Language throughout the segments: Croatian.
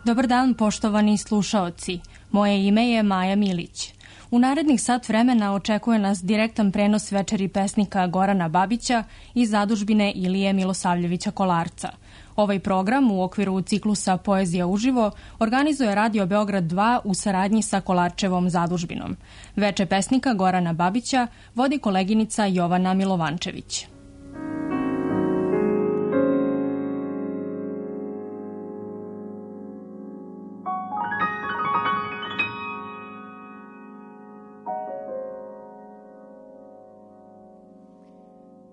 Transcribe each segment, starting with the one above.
Dobar dan, poštovani slušaoci. Moje ime je Maja Milić. U narednih sat vremena očekuje nas direktan prenos večeri pesnika Gorana Babića iz zadužbine Ilije Milosavljevića Kolarca. Ovaj program u okviru ciklusa Poezija uživo organizuje Radio Beograd 2 u saradnji sa Kolarčevom zadužbinom. Veče pesnika Gorana Babića vodi koleginica Jovana Milovančević.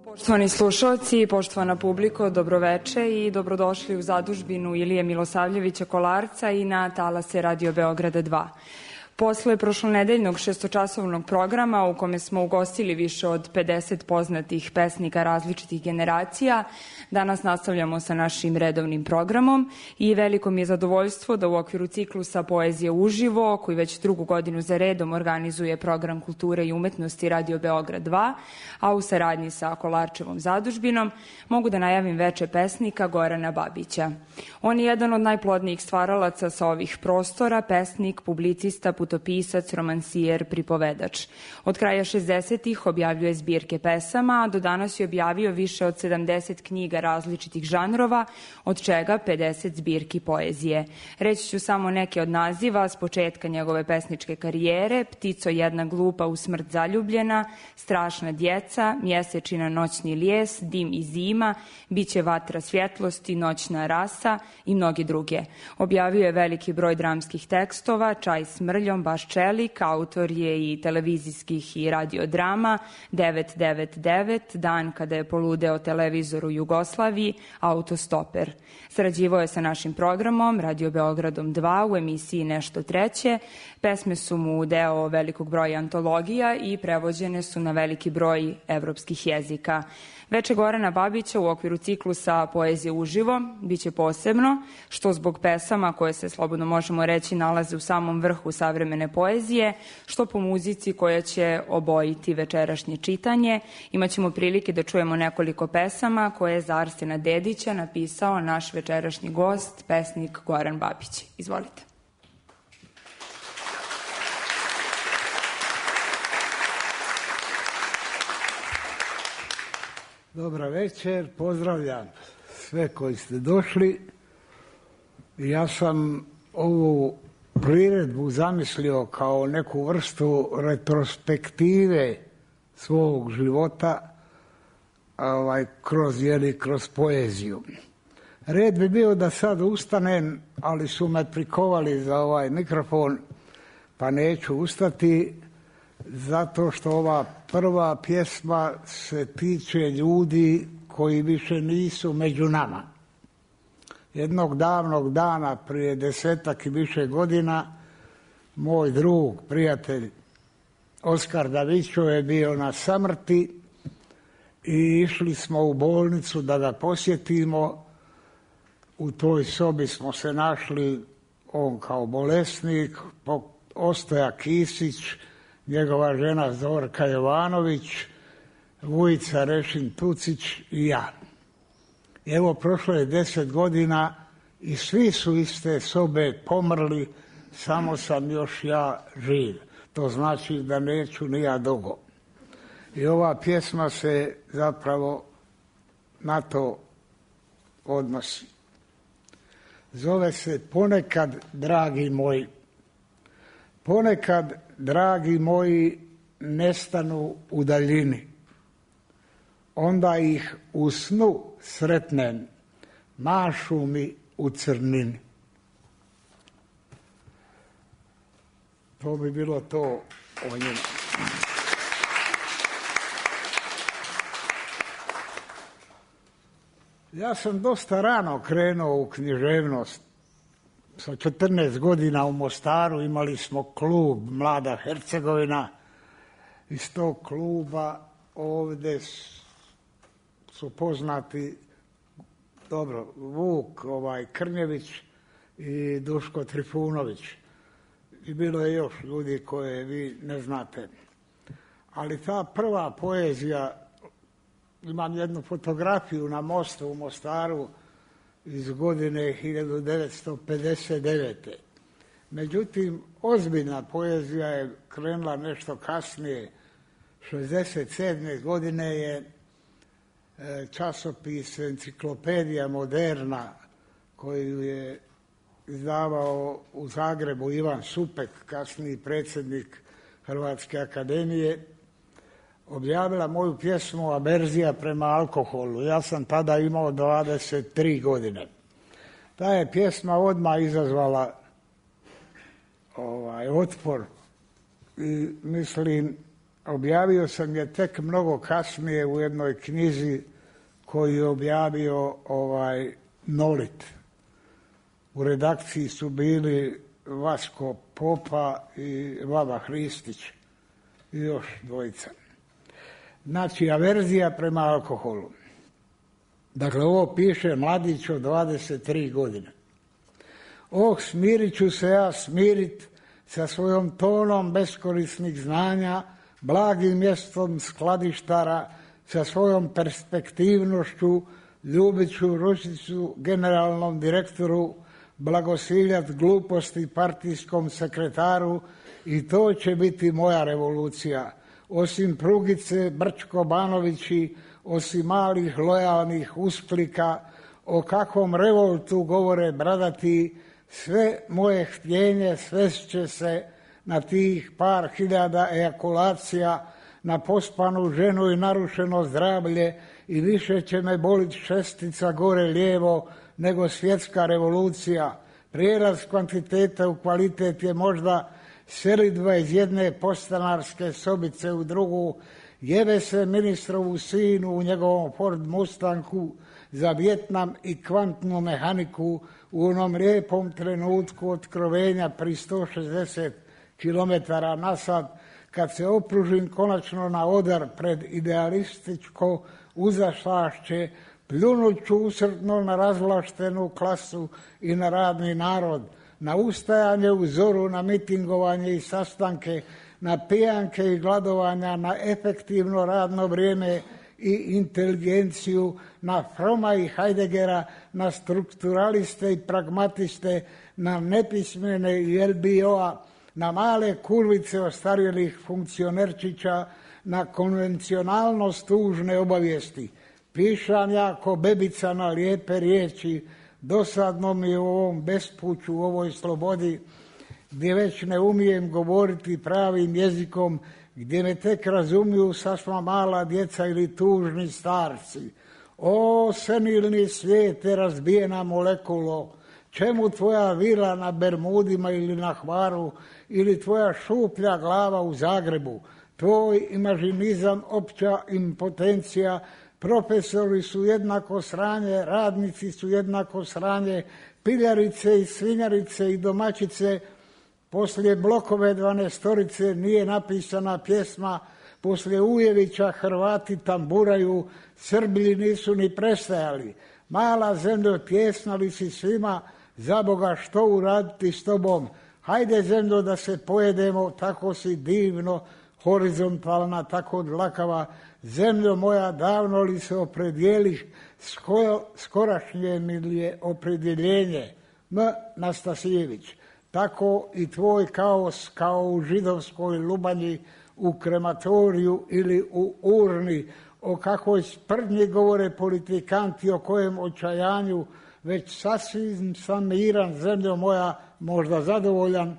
Poštovani slušalci, poštovana publiko, dobroveče i dobrodošli u zadužbinu Ilije Milosavljevića Kolarca i na talase Radio Beograda 2. Posle prošlonedeljnog šestočasovnog programa u kome smo ugostili više od 50 poznatih pesnika različitih generacija, danas nastavljamo sa našim redovnim programom i veliko mi je zadovoljstvo da u okviru ciklusa Poezije uživo, koji već drugu godinu za redom organizuje program kulture i umetnosti Radio Beograd 2, a u saradnji sa Kolarčevom zadužbinom, mogu da najavim veče pesnika Gorana Babića. On je jedan od najplodnijih stvaralaca sa ovih prostora, pesnik, publicista, putopisac, romansijer, pripovedač. Od kraja 60-ih objavljuje zbirke pesama, a do danas je objavio više od 70 knjiga različitih žanrova, od čega 50 zbirki poezije. Reći ću samo neke od naziva s početka njegove pesničke karijere: Ptico jedna glupa u smrt zaljubljena, Strašna djeca, Mjesečina noćni lijes, Dim i zima, Biće vatra svjetlosti, Noćna rasa i mnogi druge. Objavio je veliki broj dramskih tekstova: Čaj s mrljom, Baš čelik, autor je i televizijskih i radiodrama 999, Dan kada je poludeo televizor u Jugoslaviji, Autostoper. Sarađivao je sa našim programom Radio Beogradom 2 u emisiji Nešto treće. Pesme su mu deo velikog broja antologija i prevođene su na veliki broj evropskih jezika. Veče Gorana Babića u okviru ciklusa Poezije uživo biće posebno, što zbog pesama koje se, slobodno možemo reći, nalaze u samom vrhu savremene poezije, što po muzici koja će obojiti večerašnje čitanje. Imaćemo prilike da čujemo nekoliko pesama koje je za Arsena Dedića napisao naš večerašnji gost, pesnik Goran Babić. Izvolite. Dobra večer, pozdravljam sve koji ste došli. Ja sam ovu priredbu zamislio kao neku vrstu retrospektive svog života kroz poeziju. Red bi bio da sad ustanem, ali su me prikovali za ovaj mikrofon, pa neću ustati, zato što ova prva pjesma se tiče ljudi koji više nisu među nama. Jednog davnog dana, prije 10-ak i više godina, moj drug, prijatelj Oskar Davićo je bio na samrti i išli smo u bolnicu da ga posjetimo. U toj sobi smo se našli, on kao bolesnik, Ostoja Kisić, njegova žena Zorka Jovanović, Vujica Rešin Tucić i ja. Evo, prošlo je 10 godina i svi su iz te sobe pomrli, samo sam još ja živ. To znači da neću ni ja dugo. I ova pjesma se zapravo na to odnosi. Zove se Ponekad, dragi moji. Ponekad, dragi moji, nestanu u daljini. Onda ih u snu sretnem, mašu mi u crnini. To bi bilo to o njima. Ja sam dosta rano krenuo u književnost. Sa 14 godina u Mostaru imali smo klub Mlada Hercegovina. Iz tog kluba ovdje su poznati Vuk Krnjević i Duško Trifunović. I bilo je još ljudi koje vi ne znate. Ali ta prva poezija, imam jednu fotografiju na mostu u Mostaru iz godine 1959. Međutim, ozbiljna poezija je krenula nešto kasnije. 1967. godine je časopis Enciklopedija Moderna, koju je izdavao u Zagrebu Ivan Supek, kasniji predsjednik Hrvatske akademije, objavila moju pjesmu Averzija prema alkoholu. Ja sam tada imao 23 godine. Ta je pjesma odmah izazvala otpor i mislim, objavio sam je tek mnogo kasnije u jednoj knjizi koju je objavio Nolit. U redakciji su bili Vasko Popa i Vava Hristić i još dvojica. Znači, averzija prema alkoholu. Dakle, ovo piše mladić od 23 godine. Smirit ću se ja smirit sa svojom tonom beskorisnih znanja, blagim mjestom skladištara, sa svojom perspektivnošću, ljubit ću ručicu generalnom direktoru, blagosiljat gluposti partijskom sekretaru i to će biti moja revolucija. Osim Prugice, Brčko-Banovići, osim malih lojalnih usklika, o kakvom revoltu govore bradati, sve moje htjenje svest će se na tih par hiljada ejakulacija, na pospanu ženu i narušeno zdravlje i više će me bolit šestica gore lijevo nego svjetska revolucija. Prijelaz kvantiteta u kvalitet je možda selidba iz jedne podstanarske sobice u drugu, jebe se ministrovu sinu u njegovom Ford Mustangu za Vjetnam i kvantnu mehaniku u onom lijepom trenutku otkrovenja pri 160 km na sat, kad se opružim konačno na odar pred idealističko uzašlašće, pljunut ću usrdno na razvlaštenu klasu i na radni narod, na ustajanje u zoru, na mitingovanje i sastanke, na pijanke i gladovanja, na efektivno radno vrijeme i inteligenciju, na Froma i Heideggera, na strukturaliste i pragmatiste, na nepismene i LBO-a, na male kurvice ostarjelih funkcionerčića, na konvencionalnost tužne obavijesti. Pišam ja ko bebica na lijepe riječi, dosadno mi je u ovom bespuću, u ovoj slobodi, gdje već ne umijem govoriti pravim jezikom, gdje me tek razumiju sasma mala djeca ili tužni starci. O, senilni svijete, razbijena molekulo, čemu tvoja vila na Bermudima ili na Hvaru, ili tvoja šuplja glava u Zagrebu, tvoj imažinizam, opća impotencija, profesori su jednako sranje, radnici su jednako sranje, piljarice i svinjarice i domaćice. Poslije Blokove 12-torice nije napisana pjesma, poslije Ujevića Hrvati tamburaju, Srbi nisu ni prestajali. Mala zemljo, tjesna li si svima, za Boga što uraditi s tobom? Hajde zemljo da se pojedemo, tako si divno, horizontalna, tako dlakava. Zemljo moja, davno li se opredijeliš, skorašnje mi li je opredjeljenje? M. Nastasijević. Tako i tvoj kaos kao u židovskoj Lubanji, u krematoriju ili u urni, o kakvoj sprdnji govore politikanti, o kojem očajanju, već sasvim sam miran, zemljo moja, možda zadovoljan,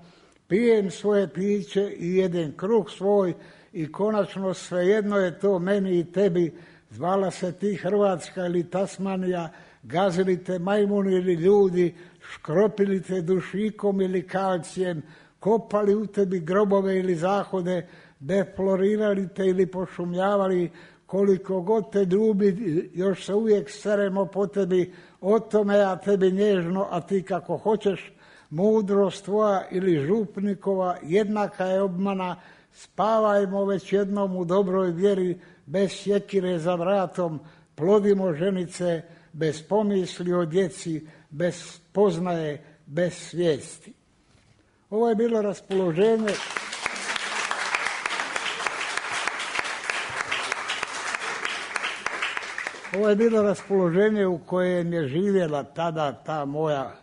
pijem svoje piće i jedem kruh svoj i konačno svejedno je to meni i tebi, zvala se ti Hrvatska ili Tasmanija, gazili te majmuni ili ljudi, škropili te dušikom ili kalcijem, kopali u tebi grobove ili zahode, deflorirali te ili pošumljavali, koliko god te ljubi, još se uvijek seremo po tebi, o tome ja tebi nježno, a ti kako hoćeš, mudrost tvoja ili župnikova jednaka je obmana, spavajmo već jednom u dobroj vjeri, bez sjekire za vratom, plodimo ženice, bez pomisli o djeci, bez poznaje, bez svijesti. Ovo je bilo raspoloženje. Ovo je bilo raspoloženje u kojem je živjela tada ta moja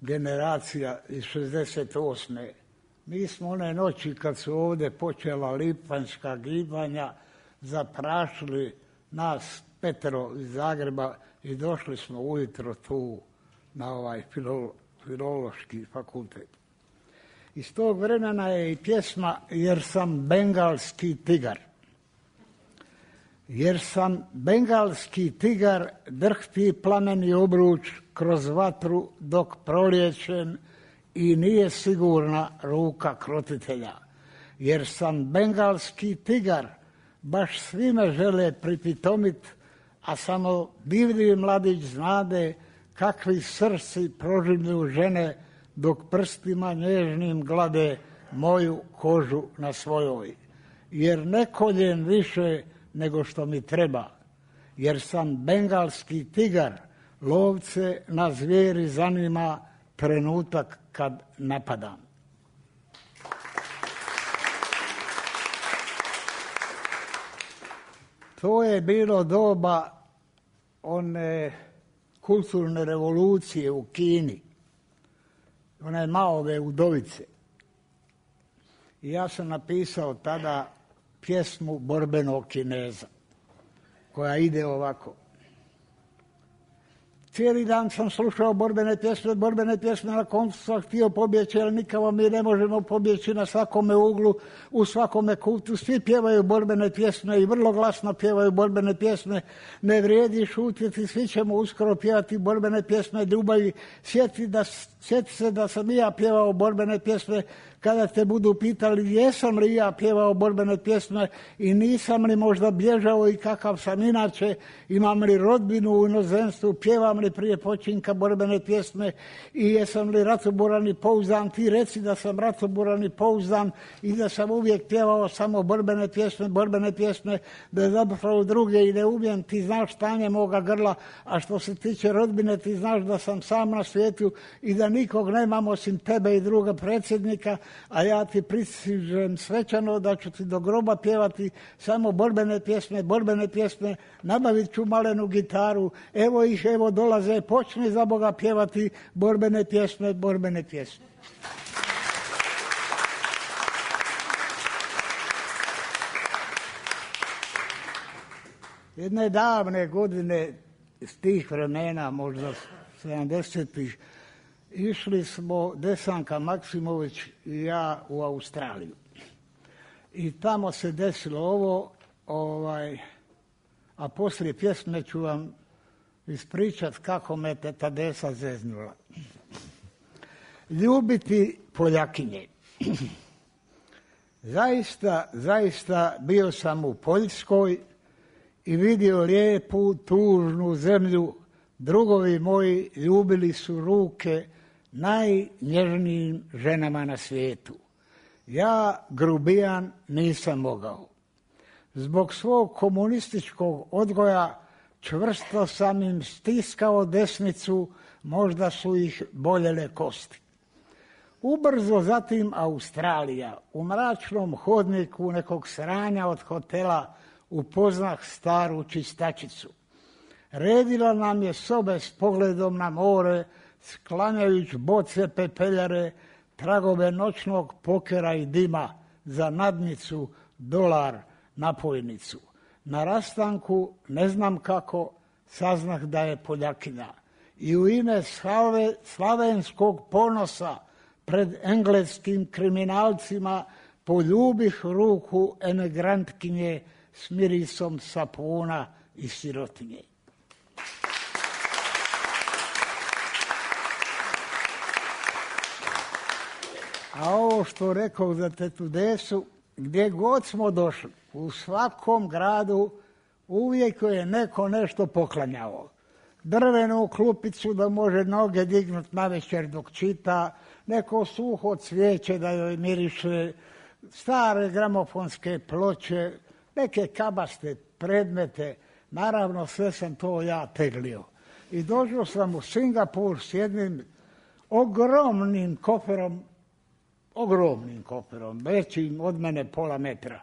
generacija iz 68. Mi smo one noći kad su ovdje počela lipanjska gibanja zaprašili nas 5 iz Zagreba i došli smo ujutro tu na ovaj filološki fakultet. Iz tog vremena je i pjesma Jer sam bengalski tigar. Jer sam bengalski tigar, drhti plameni obruč kroz vatru dok proliječem i nije sigurna ruka krotitelja. Jer sam bengalski tigar, baš svi me žele pripitomit, a samo divlji mladić znade kakvi srci proživljuju žene dok prstima nježnim glade moju kožu na svojoj. Jer ne koljem više nego što mi treba. Jer sam bengalski tigar, lovce na zvijeri zanima trenutak kad napadam. To je bilo doba one kulturne revolucije u Kini, one Maove udovice. I ja sam napisao tada pjesmu Borbenog Kineza, koja ide ovako. Cijeli dan sam slušao borbene pjesme, na koncu sam htio pobjeći, ali nikako mi ne možemo pobjeći na svakome uglu, u svakome kutu. Svi pjevaju borbene pjesme i vrlo glasno pjevaju borbene pjesme. Ne vrijedi šutjeti, svi ćemo uskoro pjevati borbene pjesme ljubavi. Sjeti se da sam i ja pjevao borbene pjesme. Kada te budu pitali jesam li ja pjevao borbene pjesme i nisam li možda bježao i kakav sam inače, imam li rodbinu u inozemstvu, pjevam li prije počinka borbene pjesme i jesam li ratoboran i pouzdan, ti reci da sam ratoboran i pouzdan i da sam uvijek pjevao samo borbene pjesme, da zapravo druge i ne umijem, ti znaš stanje moga grla, a što se tiče rodbine ti znaš da sam sam na svijetu i da nikog nemam osim tebe i druga predsjednika, a ja ti pristižem svečano da ću ti do groba pjevati samo borbene pjesme, nabavit ću malenu gitaru, evo dolaze, počni za Boga pjevati borbene pjesme. Jedne davne godine iz tih vremena, možda 70-ih, išli smo Desanka Maksimović i ja u Australiju. I tamo se desilo ovo, a poslije pjesme ću vam ispričat kako me teta Desa zeznula. Ljubiti Poljakinje. Zaista bio sam u Poljskoj i vidio lijepu, tužnu zemlju. Drugovi moji ljubili su ruke najnježnijim ženama na svijetu. Ja, grubijan, nisam mogao. Zbog svog komunističkog odgoja čvrsto sam im stiskao desnicu, možda su ih boljele kosti. Ubrzo zatim Australija. U mračnom hodniku nekog sranja od hotela upoznah staru čistačicu. Redila nam je sobe s pogledom na more, sklanjajući boce pepeljare, tragove noćnog pokera i dima, za nadnicu, dolar, napojnicu. Na rastanku, ne znam kako, saznah da je Poljakinja. I u ime slavenskog ponosa pred engleskim kriminalcima poljubih ruku emigrantkinje s mirisom sapuna i sirotinje. A ovo što rekao za tetu Desu, gdje god smo došli, u svakom gradu uvijek je neko nešto poklanjao. Drvenu klupicu da može noge dignut navečer dok čita, neko suho cvijeće da joj miriše, stare gramofonske ploče, neke kabaste predmete. Naravno, sve sam to ja teglio. I došao sam u Singapur s jednim ogromnim koferom, većim od mene pola metra.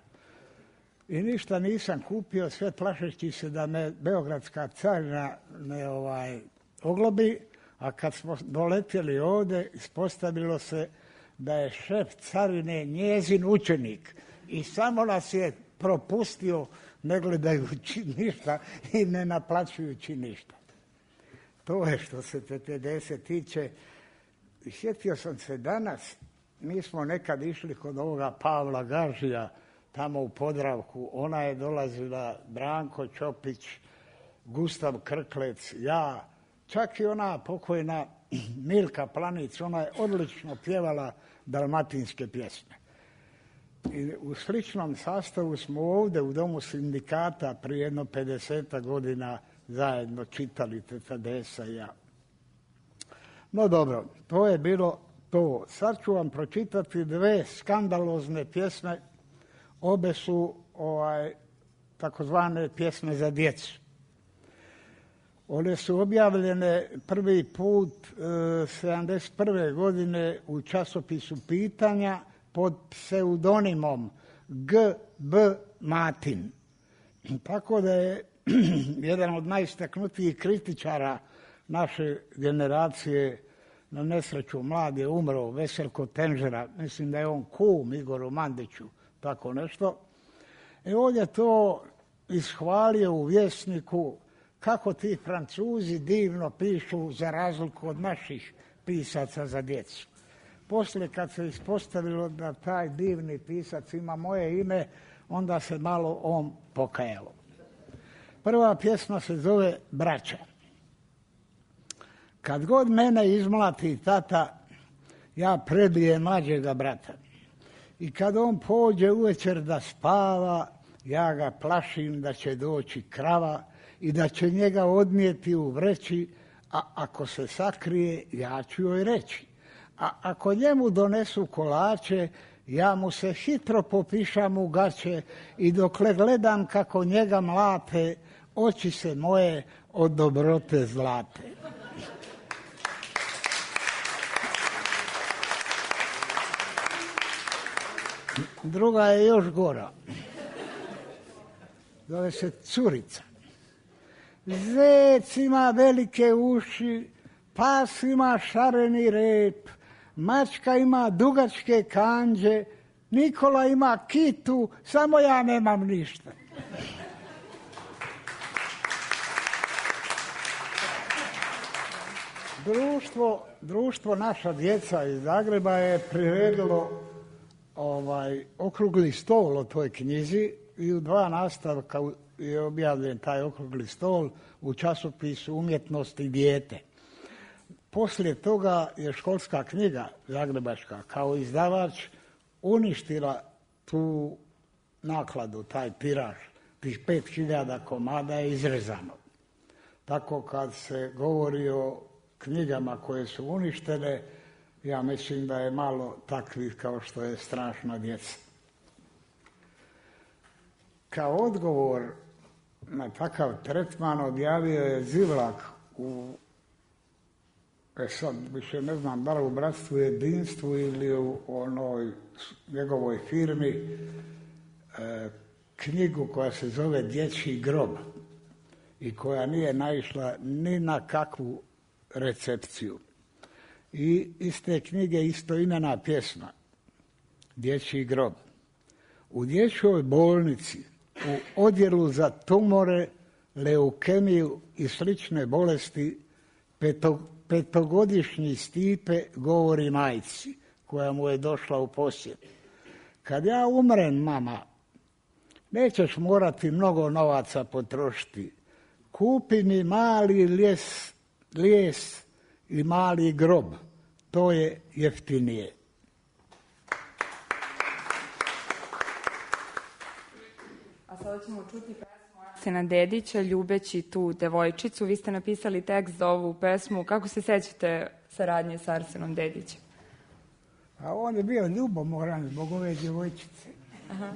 i ništa nisam kupio, sve plašeći se da me beogradska carina ne oglobi, a kad smo doletjeli ovdje, ispostavilo se da je šef carine njezin učenik i samo nas je propustio ne gledajući ništa i ne naplaćujući ništa. To je što se PPDS tiče. Sjetio sam se danas, mi smo nekad išli kod ovoga Pavla Gažija tamo u Podravku, ona je dolazila, Branko Ćopić, Gustav Krklec, ja, čak i ona pokojna Milka Planić, ona je odlično pjevala dalmatinske pjesme. I u sličnom sastavu smo ovdje u Domu sindikata prije jedno 50 godina zajedno čitali PPDS-a i ja. No dobro, to je bilo to. Sad ću vam pročitati dve skandalozne pjesme. Obe su takozvane pjesme za djecu. One su objavljene prvi put 71. godine u časopisu Pitanja pod pseudonimom G.B. Matin. Tako da je jedan od najistaknutijih kritičara naše generacije, na nesreću mlad je umro, Veselko Tenžera, mislim da je on kum Igoru Mandiću, tako nešto. I ovdje to ishvalio u Vjesniku kako ti Francuzi divno pišu za razliku od naših pisaca za djecu. Poslije kad se ispostavilo da taj divni pisac ima moje ime, onda se malo on pokajalo. Prva pjesma se zove Braća. Kad god mene izmlati tata, ja prebijem mlađega brata. I kad on pođe uvečer da spava, ja ga plašim da će doći krava i da će njega odnijeti u vreći, a ako se sakrije, ja ću joj reći. A ako njemu donesu kolače, ja mu se hitro popišam u gaće i dokle gledam kako njega mlate, oči se moje od dobrote zlate. Druga je još gora. Zove se Curica. Zec ima velike uši, pas ima šareni rep, mačka ima dugačke kanđe, Nikola ima kitu, samo ja nemam ništa. Društvo Naša djeca iz Zagreba je priredilo okrugli stol o toj knjizi i u 2 nastavka je objavljen taj okrugli stol u časopisu Umjetnost i dijete. Poslije toga je Školska knjiga zagrebačka kao izdavač uništila tu nakladu, taj tiraž, tih 5000 komada je izrezano. Tako kad se govori o knjigama koje su uništene, ja mislim da je malo takvih kao što je Strašna djeca. Kao odgovor na takav tretman objavio je Zivlak u, sad više ne znam da li u Bratstvu i jedinstvu ili u onoj njegovoj firmi, knjigu koja se zove Dječji grob i koja nije naišla ni na kakvu recepciju. I iz te knjige istoimena pjesma Dječji grob. U dječjoj bolnici u odjelu za tumore, leukemiju i slične bolesti 5-godišnji Stipe govori majci koja mu je došla u posjet. Kad ja umrem, mama, nećeš morati mnogo novaca potrošiti. Kupi mi mali lijes i mali grob. To je jeftinije. A sada ćemo čuti pesmu Arsena Dedića, Ljubeći tu devojčicu. Vi ste napisali tekst za ovu pesmu. Kako se sećate saradnje sa Arsenom Dedićem? A on je bio ljubomoran zbog ove djevojčice. Aha.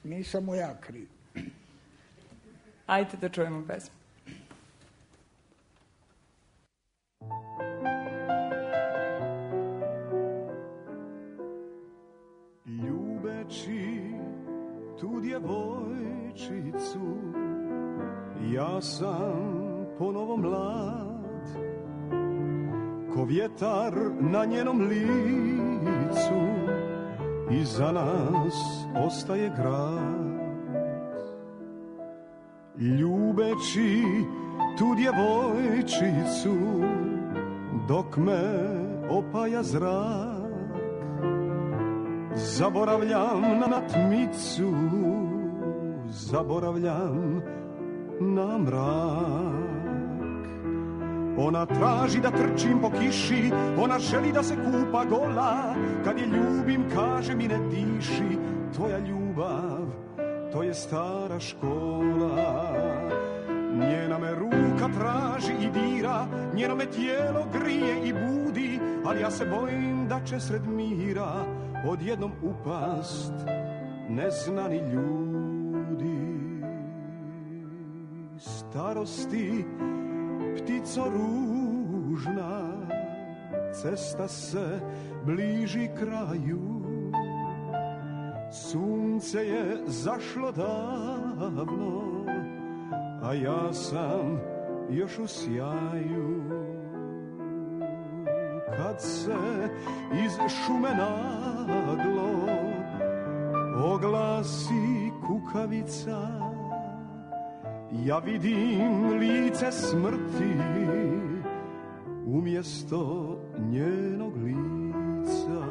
Nisam mu ja kriv. Ajde da čujemo pesmu. Ljubeći tu djevojčicu, ja sam ponovo mlad, ko vjetar na njenom licu, iza nas ostaje grad. Ljubeći tu djevojčicu, dok me opaja zrak, zaboravljam na tmicu, zaboravljam na mrak. Ona traži da trčim po kiši, ona želi da se kupa gola, kad je ljubim kaže mi ne diši, tvoja ljubav, to je stara škola. Njena me ruka traži i dira, njeno me tijelo grije i budi, ali ja se bojim da će sred mira odjednom upast neznani ljudi. Starosti, ptico ružna, cesta se bliži kraju, sunce je zašlo davno, a ja sam još u sjaju. Kad se iz šume naglo oglasi kukavica, ja vidim lice smrti umjesto njenog lica.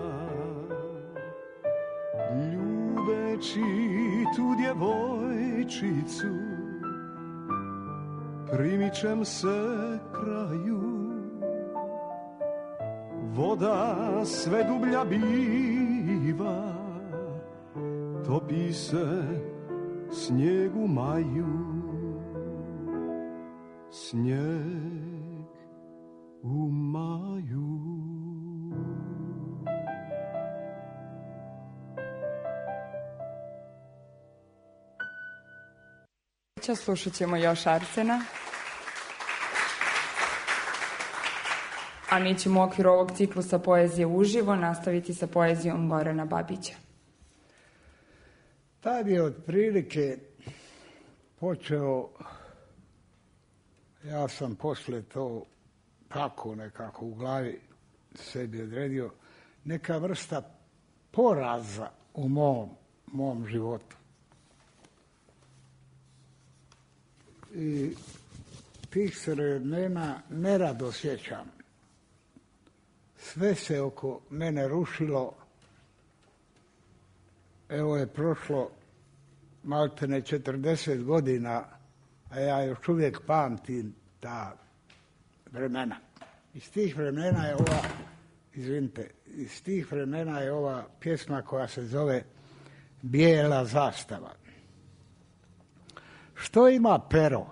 Ljubeći tu djevojčicu, primičem se kraju, voda sve dublja biva, topi se snijeg u maju, snijeg u maju. Slušat ćemo još Arsena. A mi ćemo u okviru ovog ciklusa poezije uživo nastaviti sa poezijom Gorana Babića. Tad je otprilike počeo, ja sam poslije to tako nekako u glavi sebi odredio, neka vrsta poraza u mom životu. I tih se vremena nerado sjećam. Sve se oko mene rušilo. Evo je prošlo maltene 40 godina, a ja još uvijek pamtim ta vremena. Iz tih vremena je ova pjesma koja se zove Bijela zastava. Što ima pero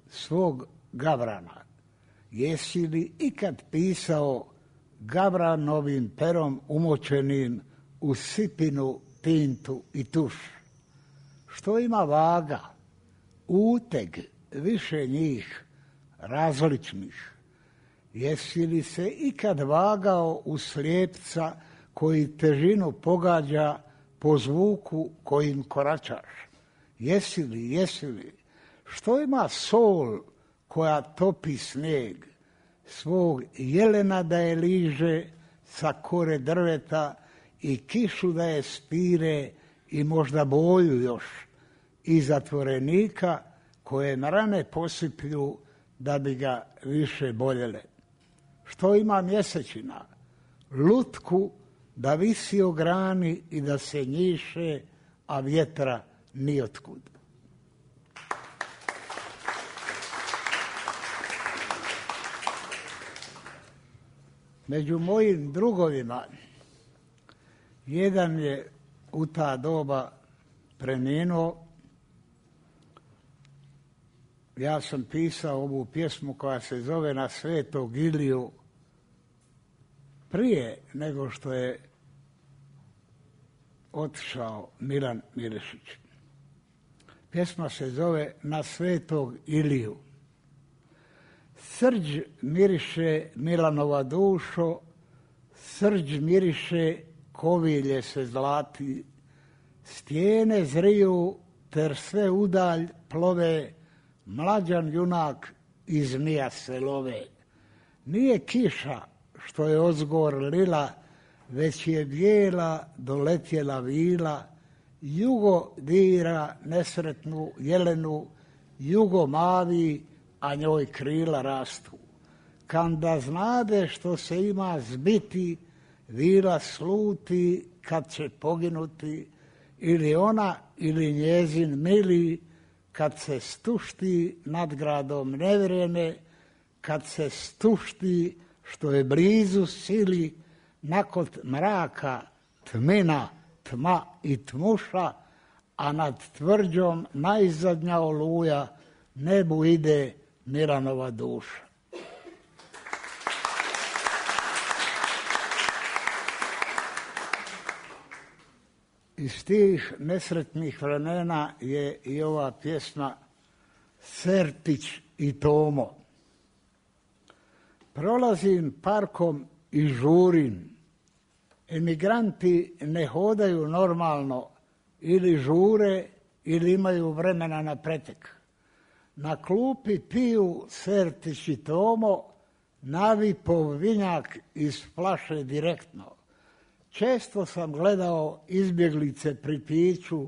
svog gavrana? Jesi li ikad pisao gavranovim perom umočenim u sipinu, tintu i tuš? Što ima vaga, uteg, više njih, različnih? Jesi li se ikad vagao u slijepca koji težinu pogađa po zvuku kojim koračaš? Jesi li? Što ima sol koja topi snijeg, svog jelena da je liže sa kore drveta i kišu da je spire i možda boju još i zatvorenika koje na rane posiplju da bi ga više boljele? Što ima mjesečina, lutku da visi o grani i da se njiše, a vjetra nijotkud? Među mojim drugovima jedan je u ta doba preminuo. Ja sam pisao ovu pjesmu koja se zove Na Svetog Iliju prije nego što je otišao Milan Milišić. Pjesma se zove Na Svetog Iliju. Srđ miriše Milanova dušo, srđ miriše kovilje se zlati, stijene zriju ter sve udalj plove, mlađan junak i zmija se love. Nije kiša što je ozgor lila, već je bijela doletjela vila, jugo dira nesretnu jelenu, jugo mavi, a njoj krila rastu. Kanda znade što se ima zbiti, vila sluti kad će poginuti, ili ona ili njezin mili, kad se stušti nad gradom nevrijeme, kad se stušti što je blizu sili, nakon mraka tmina, tma i tmuša, a nad tvrđom najzadnja oluja, nebu ide Milanova duša. Iz tih nesretnih vremena je i ova pjesma Sertić i Tomo. Prolazim parkom i žurim. Emigranti ne hodaju normalno, ili žure ili imaju vremena na pretek. Na klupi piju Sertić i Tomo, navipov vinjak iz flaše direktno. Često sam gledao izbjeglice pri piću,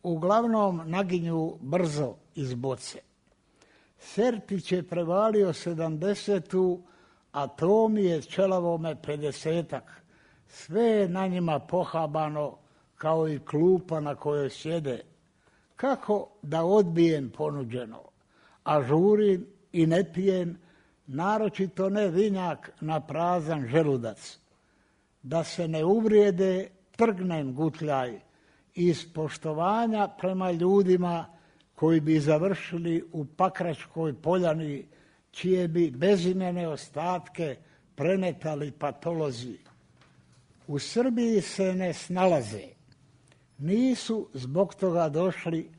uglavnom naginju brzo iz boce. Sertić je prevalio 70-tu, a Tomi je čelavome 50-ak. Sve je na njima pohabano kao i klupa na kojoj sjede. Kako da odbijem ponuđeno, a žurim i ne pijem, naročito ne vinjak na prazan želudac. Da se ne uvrijede, trgnem gutljaj iz poštovanja prema ljudima koji bi završili u Pakračkoj poljani, čije bi bezimene ostatke premetali patolozi. U Srbiji se ne snalaze. Nisu zbog toga došli,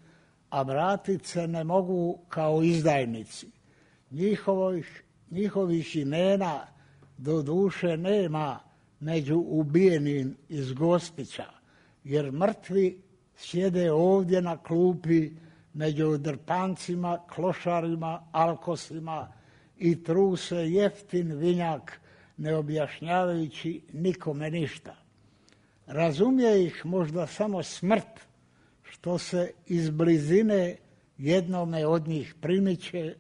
a vratit se ne mogu kao izdajnici. Njihovih imena do duše nema među ubijenim iz Gospića, jer mrtvi sjede ovdje na klupi među drpancima, klošarima, alkosima i truse jeftin vinjak, ne objašnjavajući nikome ništa. Razumije ih možda samo smrt, što se iz blizine jednome od njih primiče,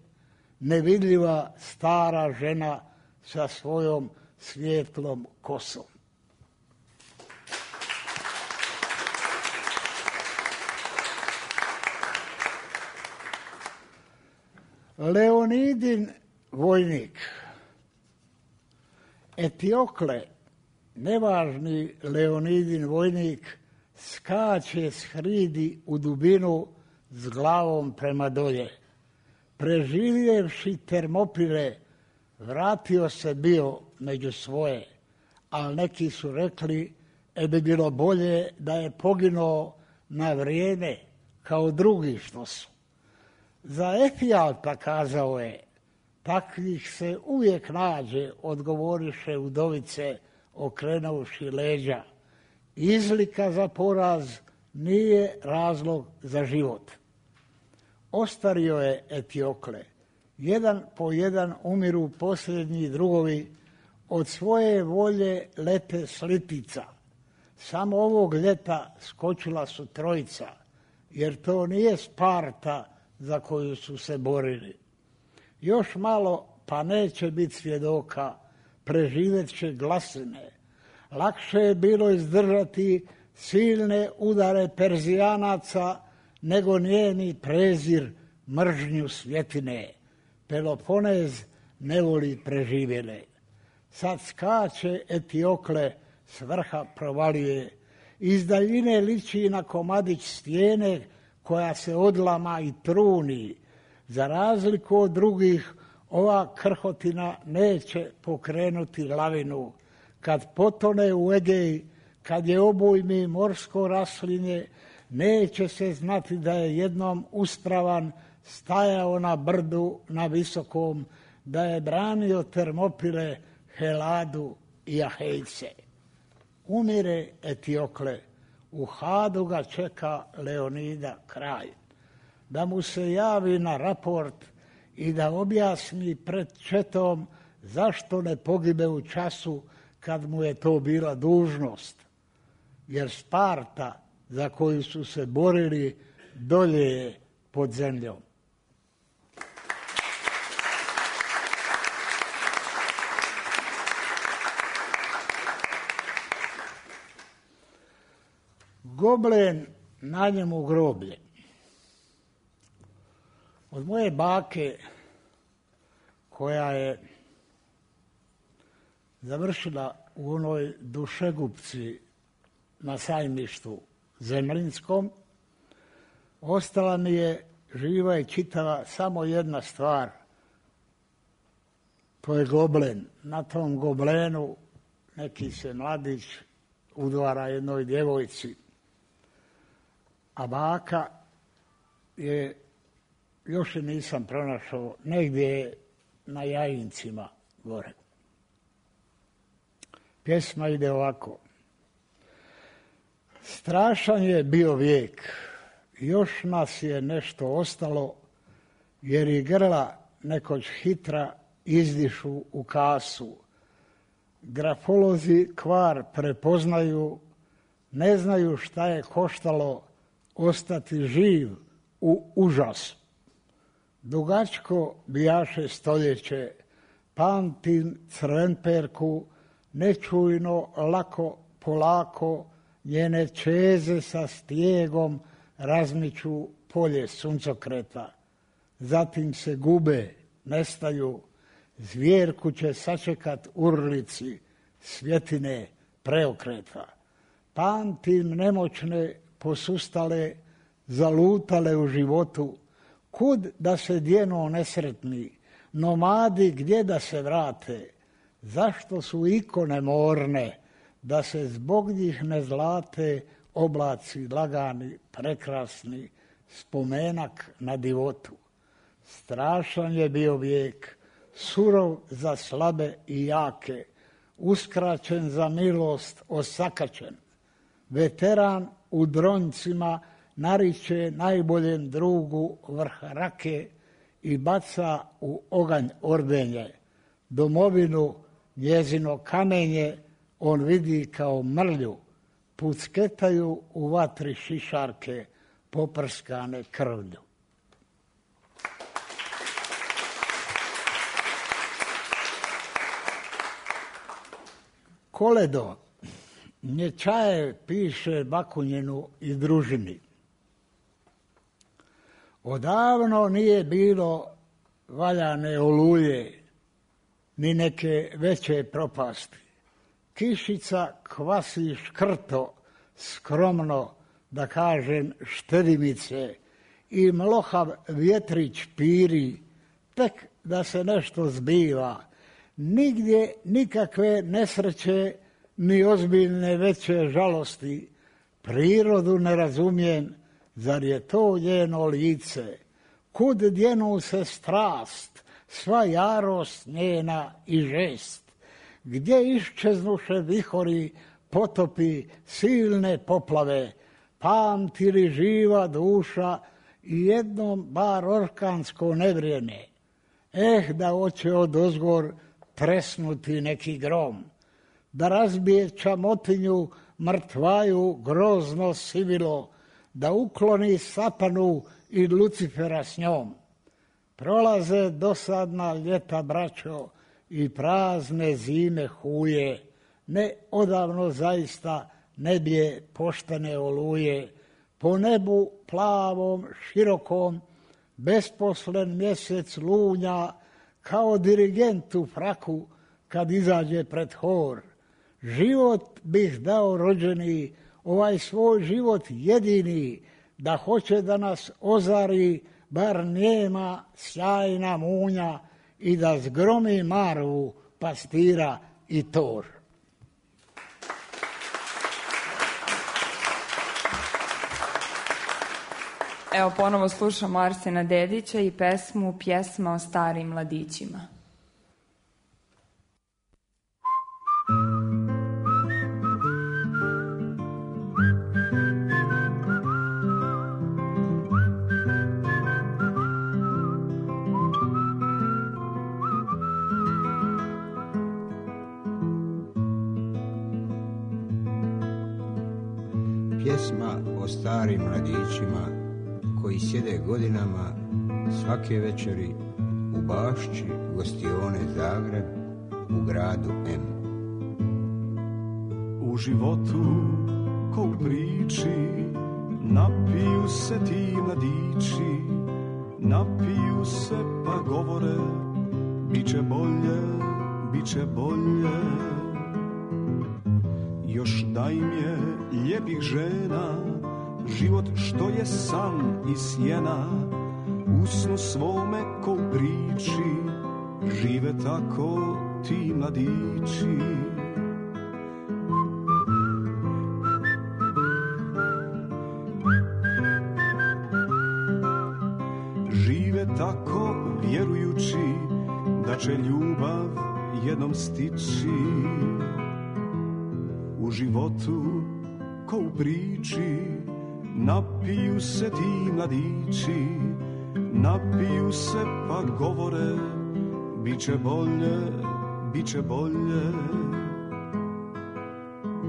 nevidljiva stara žena sa svojom svijetlom kosom. Leonidin vojnik. Etiokle, nevažni Leonidin vojnik, skače s hridi u dubinu s glavom prema dolje. Preživjevši Termopile, vratio se bio među svoje, ali neki su rekli bi bilo bolje da je poginuo na vrijeme kao drugi što su. Za Efijalta kazao je, takvih se uvijek nađe, odgovoriše udovice okrenuvši leđa. Izlika za poraz nije razlog za život. Ostario je Etiokle. Jedan po jedan umiru posljednji drugovi, od svoje volje lete slitica. Samo ovog ljeta skočila su trojica, jer to nije Sparta za koju su se borili. Još malo pa neće biti svjedoka, preživjet će glasine. Lakše je bilo izdržati silne udare Perzijanaca nego njeni prezir, mržnju svjetine. Peloponez ne voli preživjele. Sad skače Etiokle, s vrha provaljuje. Iz daljine liči na komadić stijene koja se odlama i truni. Za razliku od drugih, ova krhotina neće pokrenuti lavinu. Kad potone u Egej, kad je obujmi morsko raslinje, neće se znati da je jednom uspravan stajao na brdu na visokom, da je branio Termopile, Heladu i Ahejce. Umire Etiokle, U Hadu ga čeka Leonida kraj. Da mu se javi na raport i da objasni pred četom zašto ne pogibe u času kad mu je to bila dužnost. Jer Sparta za koju su se borili dolje je pod zemljom. Goblen, na njemu groblje. Od moje bake, koja je završila u onoj dušegupci na Sajmištu Zemljinskom, ostala mi je živa i čitava samo jedna stvar. To je goblen. Na tom goblenu neki se mladić udvara jednoj djevojci, a baka je, još je nisam pronašao, negdje na Jajincima gore. Pjesma ide ovako. Strašan je bio vijek, još nas je nešto ostalo, jer i grla nekoć hitra izdišu u kasu. Grafolozi kvar prepoznaju, ne znaju šta je koštalo ostati živ u užasu. Dugačko bijaše stoljeće, pamtim crvenperku, nečujno, lako, polako, njene čeze sa stijegom razmiču polje suncokreta. Zatim se gube, nestaju, zvjerku će sačekat urlici, svjetine preokreta. Pamtim nemoćne, posustale, zalutale u životu, kud da se djeno nesretni, nomadi gdje da se vrate, zašto su ikone morne, da se zbog njih ne zlate oblaci lagani, prekrasni, spomenak na divotu. Strašan je bio vijek, surov za slabe i jake, uskraćen za milost, osakačen. Veteran u dronjcima nariče najboljem drugu vrh rake i baca u oganj ordenje. Domovinu, njezino kamenje, on vidi kao mrlju, pucketaju u vatri šišarke poprskane krvlju. Koledo, Nječaje piše Bakunjinu i družini. Odavno nije bilo valjane oluje, ni neke veće propasti. Kišica kvasi škrto, skromno, da kažem štedimice, i mlohav vjetrić piri, tek da se nešto zbiva. Nigdje nikakve nesreće, ni ozbiljne veće žalosti. Prirodu ne razumijem, zar je to njeno lice? Kud djenu se strast, sva jarost njena i žest? Gdje iščeznuše vihori, potopi, silne poplave? Pamti li živa duša i jednom bar orkansko nevrijeme? Da hoće odozgor tresnuti neki grom, da razbije čamotinju mrtvaju grozno sivilo, da ukloni satanu i Lucifera s njom. Prolaze dosadna ljeta, braćo, i prazne zime huje, ne odavno zaista ne bije poštene oluje. Po nebu plavom, širokom, besposlen mjesec lunja, kao dirigent u fraku kad izađe pred hor. Život bih dao rođeni, ovaj svoj život jedini, da hoće da nas ozari, bar njema sjajna munja, i da zgromi Marvu, pastira i tor. Evo ponovo slušamo Arsena Dedića i pesmu Pjesma o starim mladićima. Pjesma o starim mladićima koji sjede godinama svake večeri u bašči gostione Zagreb u gradu M. U životu ko u priči napiju se ti mladići, napiju se pa govore biće bolje, biće bolje. Još da im je lijepih žena, život što je san i sjena, u snu svome ko u priči, žive tako ti mladići. Žive tako vjerujući da će ljubav jednom stići. U životu ko u priči napiju se ti mladići, napiju se pa govore biće bolje, biće bolje,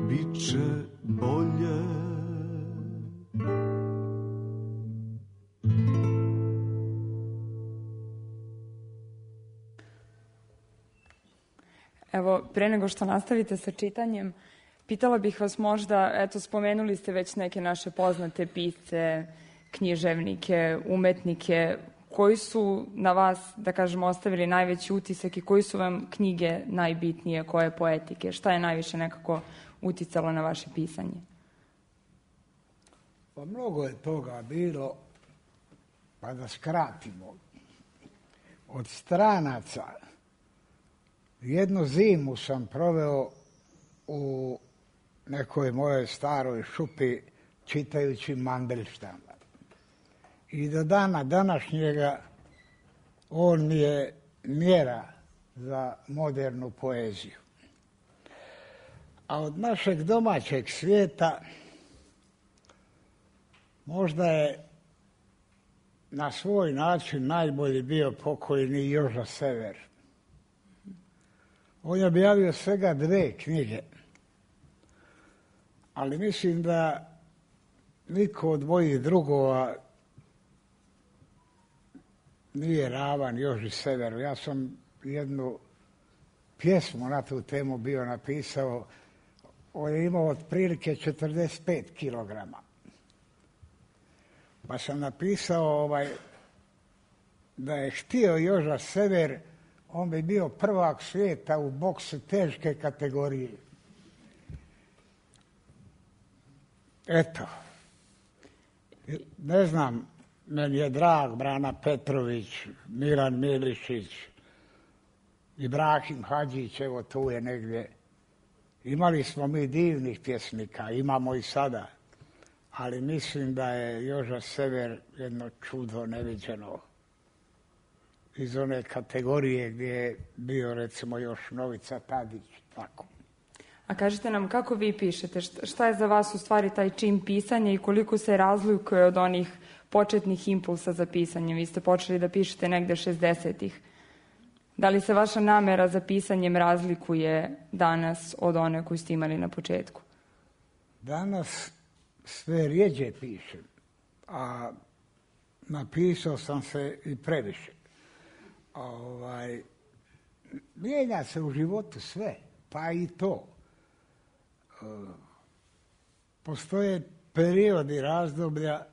biće bolje. Evo, pre nego što nastavite sa čitanjem, pitala bih vas možda, eto, spomenuli ste već neke naše poznate pisce, književnike, umetnike, koji su na vas, da kažemo, ostavili najveći utisak i koji su vam knjige najbitnije, koje poetike? Šta je najviše nekako uticalo na vaše pisanje? Pa mnogo je toga bilo, pa da skratimo. Od stranaca jednu zimu sam proveo u nekoj mojoj staroj šupi čitajući Mandelštama. I do dana današnjega on mi je mjera za modernu poeziju. A od našeg domaćeg svijeta možda je na svoj način najbolji bio pokojni Joža Sever. On je objavio svega 2 knjige, ali mislim da niko od mojih drugova nije ravan Joži Severu. Ja sam jednu pjesmu na tu temu bio napisao. On je imao otprilike 45 kilograma. Pa sam napisao da je htio Joža Sever, on bi bio prvak svijeta u boksu teške kategorije. Eto, ne znam, meni je drag Brana Petrović, Milan Milišić, Ibrahim Hadžić, evo tu je negdje. Imali smo mi divnih pjesnika, imamo i sada, ali mislim da je Joža Sever jedno čudo neviđeno iz one kategorije gdje je bio recimo još Novica Tadić, tako. A kažite nam, kako vi pišete? Šta je za vas u stvari taj čin pisanja i koliko se razlikuje od onih početnih impulsa za pisanje? Vi ste počeli da pišete negde 60-ih. Da li se vaša namera za pisanjem razlikuje danas od one koju ste imali na početku? Danas sve rijeđe pišem, a napisao sam se i previše. Mijenja se u životu sve, pa i to. Postoje periodi razdoblja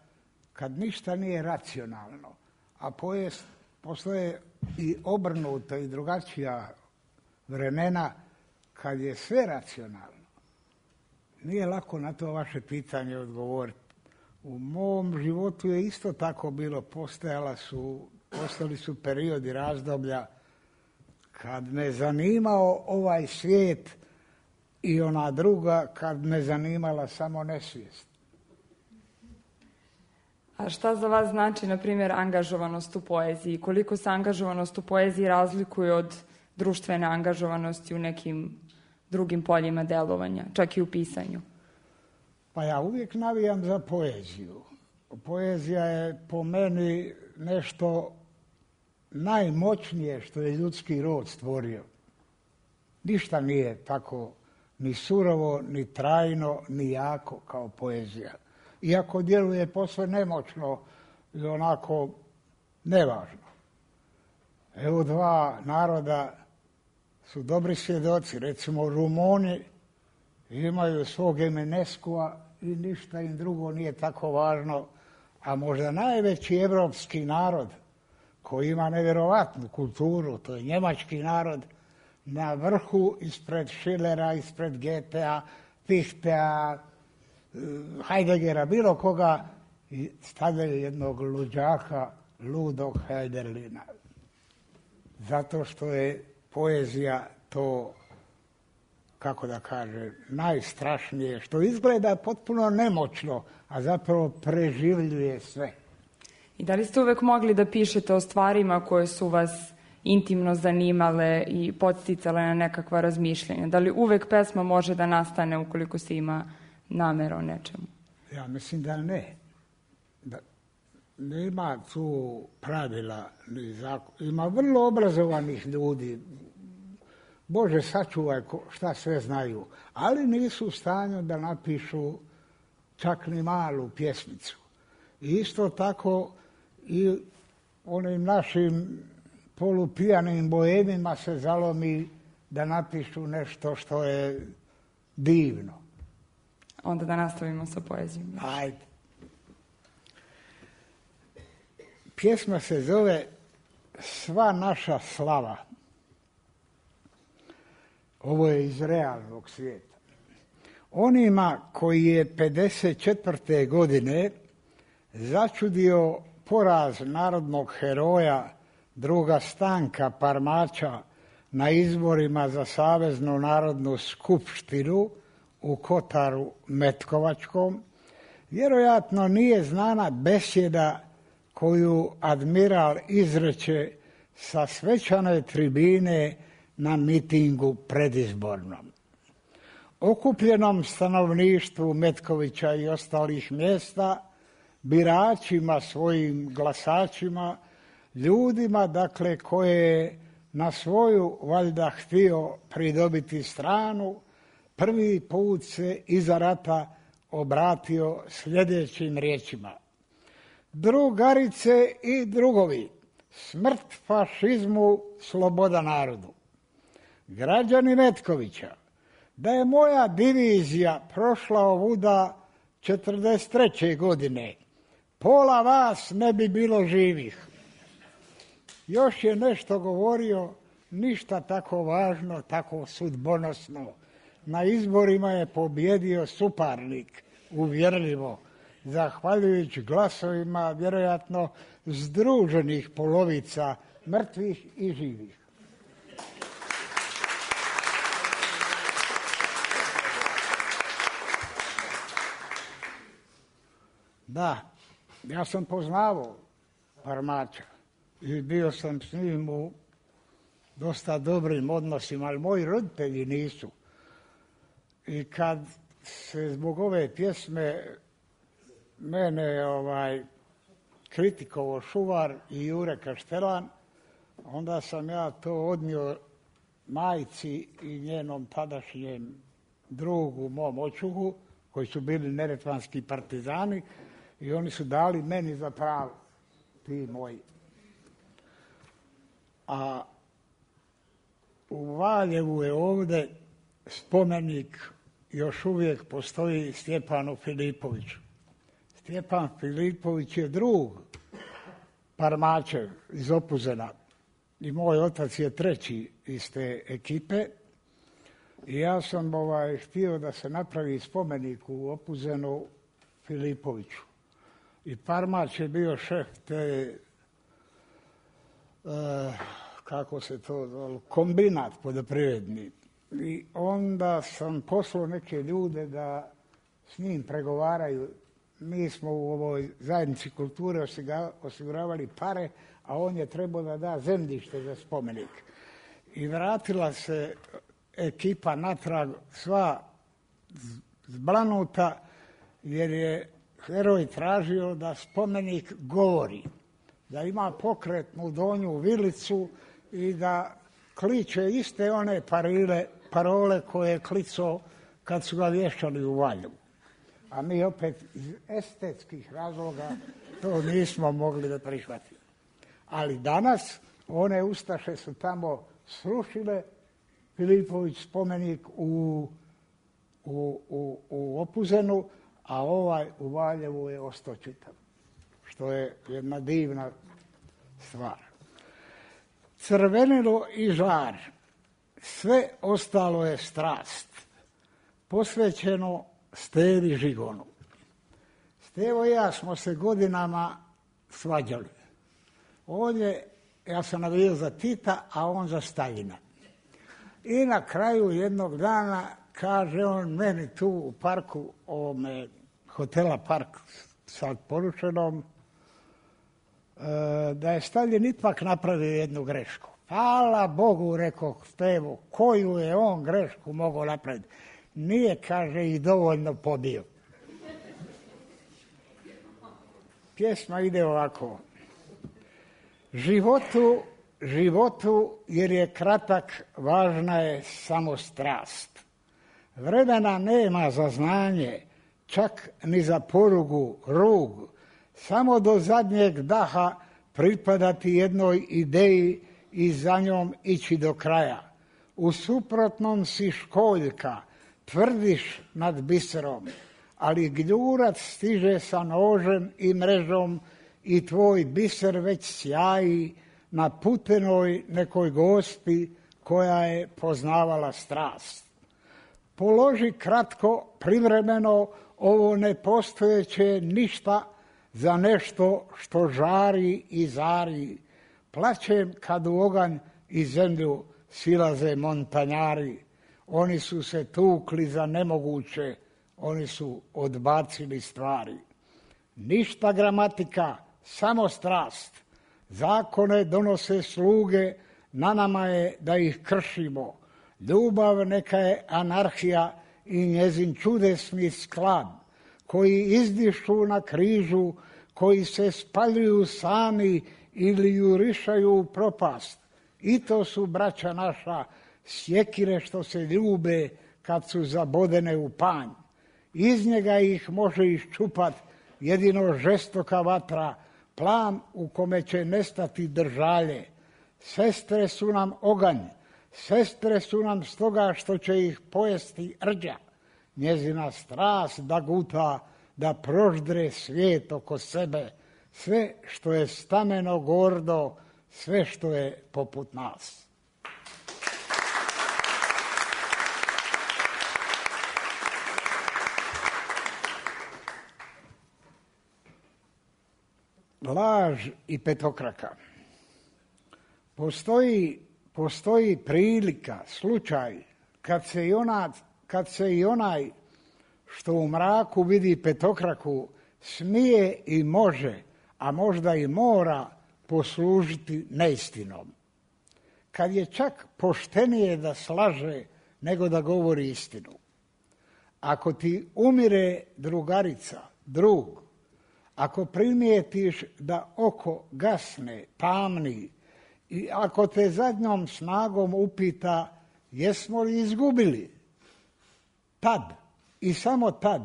kad ništa nije racionalno, a postoje i obrnuta i drugačija vremena kad je sve racionalno. Nije lako na to vaše pitanje odgovoriti. U mom životu je isto tako bilo, postali su periodi razdoblja kad me zanimao ovaj svijet i ona druga kad me zanimala samo nesvijest. A šta za vas znači, na primjer, angažovanost u poeziji? Koliko se angažovanost u poeziji razlikuje od društvene angažovanosti u nekim drugim poljima delovanja, čak i u pisanju? Pa ja uvijek navijam za poeziju. Poezija je po meni nešto najmoćnije što je ljudski rod stvorio. Ništa nije tako ni surovo, ni trajno, ni jako kao poezija. Iako djeluje posve nemoćno i onako nevažno. Evo dva naroda su dobri svjedoci. Recimo Rumuni imaju svog Eminescua i ništa im drugo nije tako važno. A možda najveći evropski narod koji ima nevjerovatnu kulturu, to je njemački narod, na vrhu ispred Schillera, ispred Goethea, Fichtea, Heideggera, bilo koga, i stavljaju jednog luđaka, ludog Hölderlina. Zato što je poezija to, kako da kaže, najstrašnije, što izgleda potpuno nemoćno, a zapravo preživljuje sve. I da li ste uvek mogli da pišete o stvarima koje su vas intimno zanimale i podsticale na nekakva razmišljanja? Da li uvek pesma može da nastane ukoliko se ima namera o nečemu? Ja mislim da ne. Da nema tu pravila ni zakon. Ima vrlo obrazovanih ljudi. Bože sačuvaj šta sve znaju. Ali nisu u stanju da napišu čak ni malu pjesmicu. I isto tako i onim našim polupijanim boemima se zalomi da napišu nešto što je divno. Onda da nastavimo sa poezijom. Ajde. Pjesma se zove Sva naša slava. Ovo je iz realnog svijeta. Onima koji je 54. godine začudio poraz narodnog heroja druga Stanka Parmača na izborima za Saveznu narodnu skupštinu u Kotaru Metkovačkom, vjerojatno nije znana besjeda koju admiral izreče sa svečane tribine na mitingu predizbornom. Okupljenom stanovništvu Metkovića i ostalih mjesta, biračima, svojim glasačima, ljudima, dakle, koje je na svoju valjda htio pridobiti stranu, prvi put se iza rata obratio sljedećim riječima. Drugarice i drugovi, smrt fašizmu, sloboda narodu. Građani Metkovića, da je moja divizija prošla ovuda 43. godine, pola vas ne bi bilo živih. Još je nešto govorio, ništa tako važno, tako sudbonosno. Na izborima je pobjedio suparnik, uvjerljivo, zahvaljujući glasovima vjerojatno združenih polovica mrtvih i živih. Da, ja sam poznavao Parmača i bio sam s njim u dosta dobrim odnosima, ali moji roditelji nisu. I kad se zbog ove pjesme mene kritikovao Šuvar i Jure Kaštelan, onda sam ja to odnio majci i njenom tadašnjem drugu, mom očuhu, koji su bili neretvanski partizani, i oni su dali meni za pravo, ti moji. A u Valjevu je ovdje spomenik, još uvijek postoji, Stjepanu Filipoviću. Stjepan Filipović je drug Parmačev iz Opuzena i moj otac je treći iz te ekipe. I ja sam htio da se napravi spomenik u Opuzenu Filipoviću. I Parmač je bio šef te, kako se to zove, kombinat poljoprivredni. I onda sam poslao neke ljude da s njim pregovaraju. Mi smo u ovoj zajednici kulture osiguravali pare, a on je trebao da da zemljište za spomenik. I vratila se ekipa natrag sva zblanuta, jer je heroj tražio da spomenik govori, da ima pokretnu donju vilicu i da kliče iste one parile parole koje je klicao kad su ga vješali u Valjevu. A mi opet iz estetskih razloga to nismo mogli da prihvatimo. Ali danas one ustaše su tamo srušile Filipović spomenik u Opuzenu, a ovaj u Valjevu je ostao čitav, što je jedna divna stvar. Crvenilo i žar, sve ostalo je strast, posvećeno Stevi Žigonu. Stevo i ja smo se godinama svađali. Ja sam navijao za Tita, a on za Staljina. I na kraju jednog dana kaže on meni tu u parku, hotela Park sad poručenom, da je Staljin ipak napravio jednu grešku. Hvala Bogu, rekao Stevo, koju je on grešku mogao napraviti. Nije, kaže, i dovoljno pobio. Pjesma ide ovako. Životu, jer je kratak, važna je samo strast. Vremena nema za znanje, čak ni za porugu, rug. Samo do zadnjeg daha pripadati jednoj ideji i za njom ići do kraja. U suprotnom si školjka, tvrdiš nad biserom, ali gljurac stiže sa nožem i mrežom i tvoj biser već sjaji na putenoj nekoj gospi koja je poznavala strast. Položi kratko, privremeno, ovo nepostojeće ništa za nešto što žari i zari. Plaćem kad u oganj i zemlju silaze montanjari. Oni su se tukli za nemoguće, oni su odbacili stvari. Ništa gramatika, samo strast. Zakone donose sluge, na nama je da ih kršimo. Ljubav neka je anarhija i njezin čudesni sklad, koji izdišu na križu, koji se spaljuju sami ili jurišaju u propast. I to su, braća naša, sjekire što se ljube kad su zabodene u panj. Iz njega ih može iščupat jedino žestoka vatra, plan u kome će nestati držalje. Sestre su nam oganj, sestre su nam stoga što će ih pojesti rđa. Njezina strast da guta, da proždre svijet oko sebe, sve što je stameno gordo, sve što je poput nas. Laž i petokraka. Postoji prilika, slučaj, kad se i onaj što u mraku vidi petokraku smije i može, a možda i mora poslužiti neistinom. Kad je čak poštenije da slaže nego da govori istinu. Ako ti umire drugarica, drug, ako primijetiš da oko gasne, tamni, i ako te zadnjom snagom upita jesmo li izgubili, tad i samo tad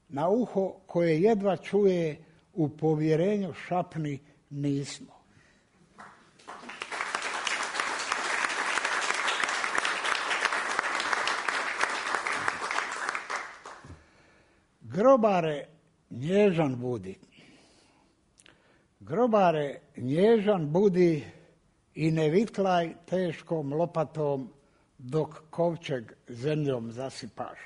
na uho koje jedva čuje u povjerenju šapni nismo. Grobare, nježan budi. Grobare, nježan budi i ne vitlaj teškom lopatom dok kovčeg zemljom zasipaš.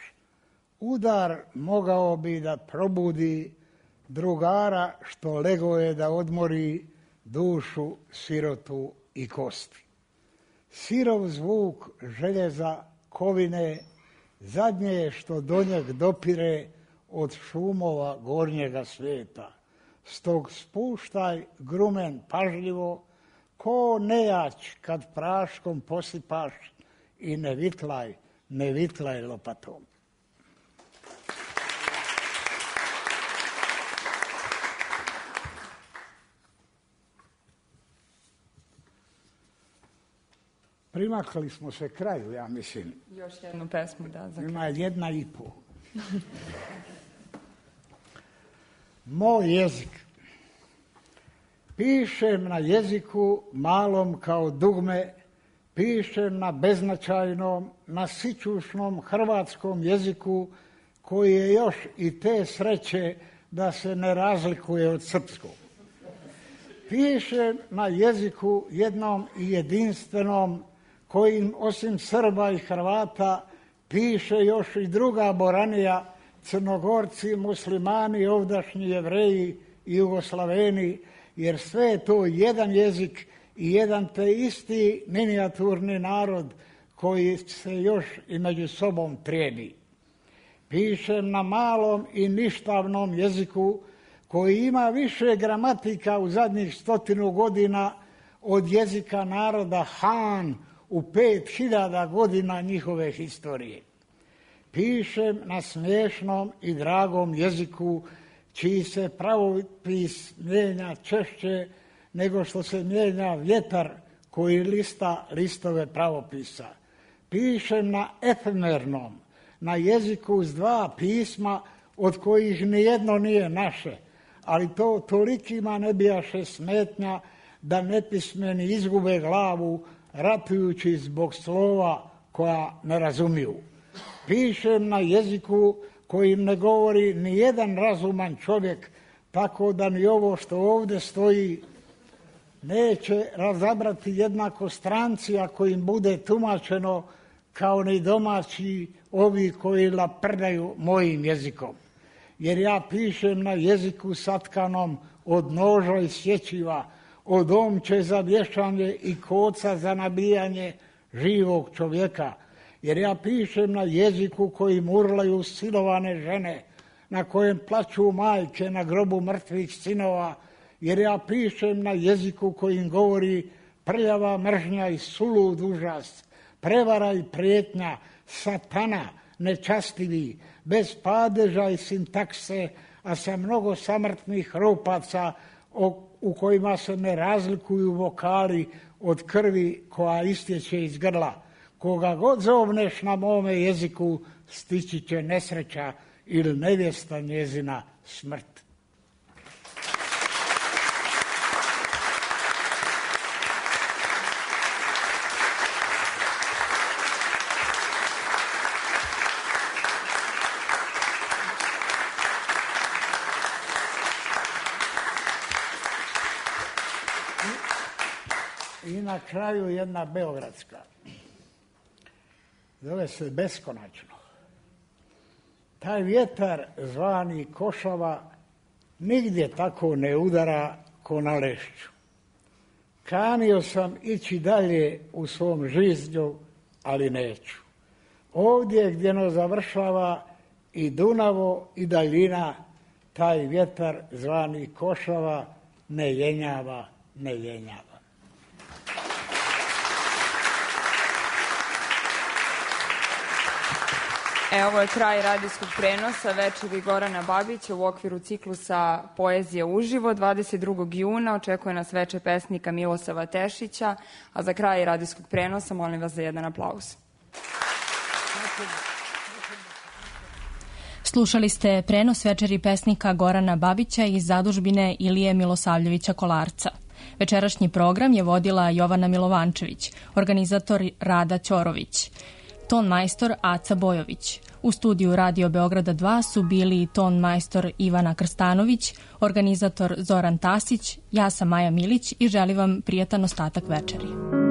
Udar mogao bi da probudi drugara što lego je da odmori dušu, sirotu i kosti. Sirov zvuk željeza, kovine, zadnje je što do njeg dopire od šumova gornjega svijeta. Stog spuštaj grumen pažljivo, ko nejać kad praškom posipaš i ne vitlaj lopatom. primakli smo se kraju, ja mislim. Još jednu pesmu, da. Ima 1,5. Moj jezik. Pišem na jeziku malom kao dugme, pišem na beznačajnom, na sićušnom hrvatskom jeziku koji je još i te sreće da se ne razlikuje od srpskog. Pišem na jeziku jednom i jedinstvenom kojim osim Srba i Hrvata piše još i druga boranija, Crnogorci, muslimani, ovdašnji Jevreji i Jugoslaveni, jer sve je to jedan jezik i jedan te isti minijaturni narod koji se još i među sobom trijedi. Pišem na malom i ništavnom jeziku koji ima više gramatika u zadnjih 100 godina od jezika naroda Han u 5000 godina njihove historije. Pišem na smiješnom i dragom jeziku čiji se pravopis mijenja češće nego što se mijenja vjetar koji lista listove pravopisa. Pišem na efemernom, na jeziku s 2 pisma od kojih nijedno nije naše, ali to tolikima ne bijaše smetnja da nepismeni izgube glavu ratujući zbog slova koja ne razumiju. Pišem na jeziku kojim ne govori ni jedan razuman čovjek, tako da ni ovo što ovdje stoji neće razabrati jednako stranci ako im bude tumačeno kao ni domaći ovi koji laprdaju mojim jezikom. Jer ja pišem na jeziku satkanom od noža i sječiva, od omče za vješanje i koca za nabijanje živog čovjeka. Jer ja pišem na jeziku kojim urlaju silovane žene, na kojem plaću majke na grobu mrtvih sinova. Jer ja pišem na jeziku kojim govori prljava mržnja i sulud užas, prevara i prijetnja, satana, nečastivi, bez padeža i sintakse, a sa mnogo samrtnih ropaca u kojima se ne razlikuju vokali od krvi koja istječe iz grla. Koga god zovneš na mome jeziku, stići će nesreća ili nevjesta njezina smrt. I na kraju jedna beogradska. Zove se Beskonačno. Taj vjetar zvani Košava nigdje tako ne udara ko na Lešću. Kanio sam ići dalje u svom žiznju, ali neću. Ovdje gdje no završava i Dunavo i daljina, taj vjetar zvani Košava ne jenjava, ne jenjava. Ovo je kraj radijskog prenosa večeri Gorana Babića u okviru ciklusa Poezije uživo. 22. juna očekuje nas veče pesnika Milosava Tešića, a za kraj radijskog prenosa molim vas za jedan aplauz. Slušali ste prenos večeri pesnika Gorana Babića iz zadužbine Ilije Milosavljevića Kolarca. Večerašnji program je vodila Jovana Milovančević, organizator Rada Ćorović, ton majstor Aca Bojović. U studiju Radio Beograda 2 su bili ton majstor Ivana Krstanović, organizator Zoran Tasić, ja sam Maja Milić i želim vam prijatan ostatak večeri.